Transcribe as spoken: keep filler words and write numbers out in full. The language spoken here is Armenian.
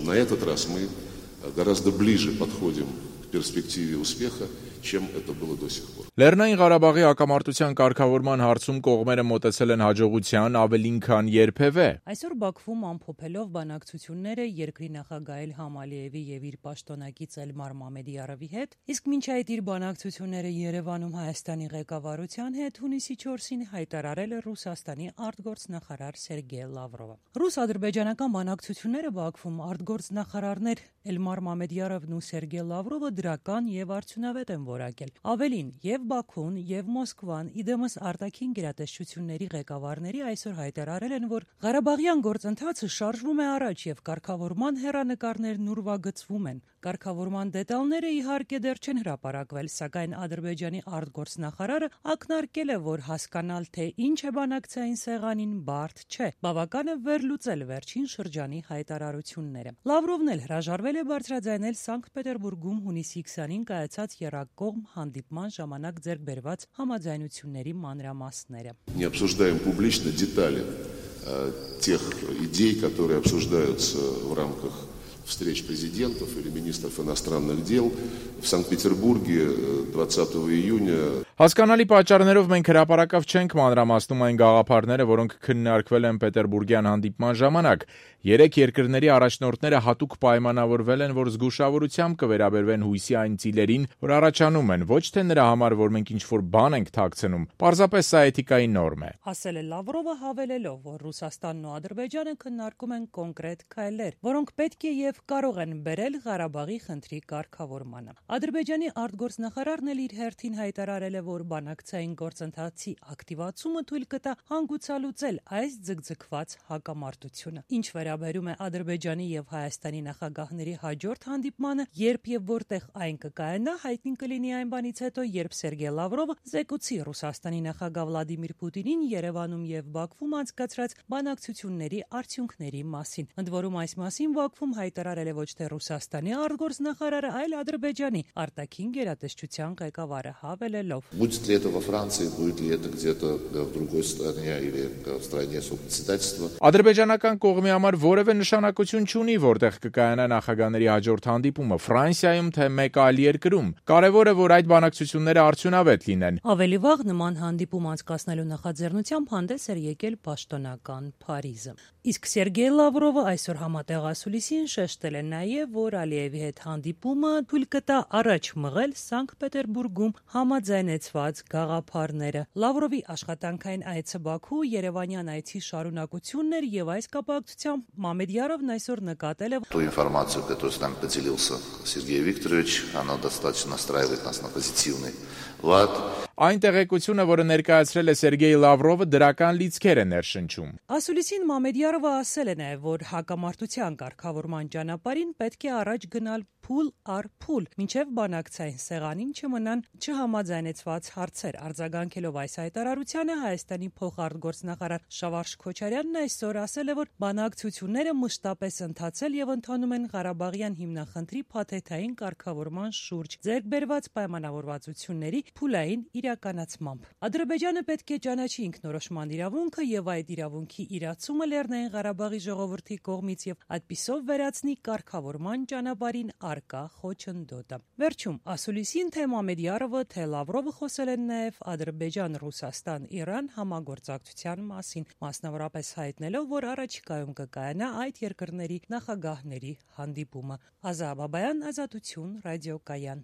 на этот раз мы гораздо ближе подходим к перспективе успеха, чем это было до сих пор. Լեռնային Ղարաբաղի հակամարտության կարգավորման հարցում կողմերը մոտեցել են հաջողության ավելին քան երբևէ։ Այսօր Բաքվում ամփոփելով բանակցությունները երկրի նախագահ Իլհամ Ալիևի եւ իր պաշտոնակից Էլմար Մամեդիարովի հետ, իսկ մինչ այդ իր բանակցությունները Երևանում Հայաստանի ղեկավարության հետ հունիսի չորսին հայտարարել է Ռուսաստանի արտգործնախարար Սերգեյ Լավրովը։ Ռուս-ադրբեջանական բանակցությունները Բաքվում արտգործնախարարներ Էլմար Մամեդիարովն ու Սերգեյ Լավրովը դրական եւ արդյունավետ են որակել։ Ավելին, եւ Բաքուն, եւ Մոսկվան, իդեմս արտաքին գերատեսչությունների ղեկավարների այսօր հայտարարել են, որ Ղարաբաղյան գործընթացը շարժվում է առաջ եւ կարգավորման հեռանկարներն ուրվագծվում են։ Կարգավորման դետալները իհարկե դեռ չեն հրապարակվել, սակայն Ադրբեջանի արտգործնախարարը ակնարկել է, որ հասկանալ, թե ինչ է բանակցային սեղանին, բարդ չէ։ Բավական է վերլուծել վերջին շրջանի հայտարարությունները։ Լավրովն էլ հրաժարվել է բարձրաձայնել Սանկտ Պետերբուրգում հունիսի քսանին կայացած եռակողմ հանդիպման ժամանակ ձեռք բերված համաձայնությունների մանրամասները։ Не обсуждаем публично детали тех идей, которые обсуждаются в рамках встреч президентов или министров иностранных дел в Санкт-Петербурге двадцатого июня. Հասկանալի պատճառներով մենք հրապարակավ չենք մանրամասնում այն գաղափարները, որոնք քննարկվել են Պետերբուրգյան հանդիպման ժամանակ։ Երեք երկրների առաջնորդները հատուկ պայմանավորվել են, որ զգուշավորությամբ կվերաբերվեն հույսի այն ծիլերին, որ առաջանում են, ոչ թե նրա համար, որ մենք ինչ-որ բան ենք թաքցնում։ Պարզապես սա էթիկայի նորմ է։ Ասել է Լավրովը հավելելով, որ Ռուսաստանն ու Ադրբեջանը քննարկում են կոնկրետ քայլեր, որոնք պետք է եւ կարող են բերել Ղարաբաղի խնդրի կարգավորմանը։ Ադրբեջանի արտգործնախարարն էլ իր հերթին հայտարարել է, որ բանակցային գործընթացի ակտիվացումը թույլ կտա հանգուցալուծել այս ձգձգված հակամարտությունը։ Ինչ վերաբերում է Ադրբեջանի եւ Հայաստանի նախագահների հաջորդ հանդիպմանը, երբ եւ որտեղ այն կկայանա, հայտնի կլինի այն բանից հետո, երբ Սերգեյ Լավրովը զեկուցի Ռուսաստանի նախագահ Վլադիմիր Պուտինին Երևանում եւ Բաքվում անցկացրած բանակցությունների արդյունքների մասին։ Ընդ որում այս մասին Բաքվում հայտարարել է ոչ թե Ռուսաստանի արտգործնախարարը, այլ Ադրբեջանի արտաքին գերատեսչության ղեկավարը հավելելով. Будет ли это во Франции, будет ли это где-то в другой стране или в стране сопредседательства. Ադրբեջանական կողմի համար որևէ նշանակություն չունի, որտեղ կկայանա նախագահների հաջորդ հանդիպումը՝ Ֆրանսիայում թե մեկ այլ երկրում։ Կարևորը, որ այդ բանակցությունները արդյունավետ լինեն։ Ավելի վաղ նման հանդիպում անցկացնելու նախաձեռնությամբ հանդես էր եկել պաշտոնական Փարիզը։ Իսկ Սերգեյ Լավրովը այսօր համատեղ ասուլիսին շեշտել է նաև, որ Ալիևի հետ հանդիպումը թույլ կտա առաջ մղել Սանկտ Պետերբուրգում համաձայնեցված գաղափարները։ Լավրովի աշխատանքային այցը Բաքու Երևանյան այցի շարունակությունն էր եւ այս կապակցությամբ Մամեդիարովն այսօր նկատել է Ту информацию, которую с нами поделился Сергей Викторович, она достаточно настраивает нас на позитивный лад. Այն տեղեկությունը, որը ներկայացրել է Սերգեյ Լավրովը, դրական լիցքեր է ներշնչում։ Ասուլիսին Մամեդիարովը ասել է նաև, որ հակամարտության կարգավորման ճանապարհին պետք է առաջ գնալ փուլ առ փուլ, մինչև բանակցային սեղանին չմնան չհամաձայնեցված հարցեր։ Արձագանքելով այս հայտարարությանը Հայաստանի փոխարտգործնախարար Շավարշ Քոչարյանն այսօր ասել է, որ բանակցությունները մշտապես ընթացել եւ ընթանում են Ղարաբաղյան հիմնախնդրի փաթեթային կարգավորման շուրջ ձեռք բերված պայմանավորվածությունների փուլային իրականացմամբ։ Ադրբեջանը պետք է ճանաչի ինքնորոշման իրավունքը եւ այդ իրավունքի իրացումը Լեռնային Ղարաբաղի ժողովրդի կողմից եւ այդպիսով վերացնի կարգավորման ճանապարհին արկա խոչընդոտը։ Վերջում ասուլիսին թե Մամեդիարովը, թե Լավրովը խոսել են նաև Ադրբեջան-Ռուսաստան-Իրան համագործակցության մասին, մասնավորապես հայտնելով, որ առաջիկայում կկայանա այդ երկրների նախագահների հանդիպումը։ Ազա Բաբայան, Ազատություն, ռադիոկայան։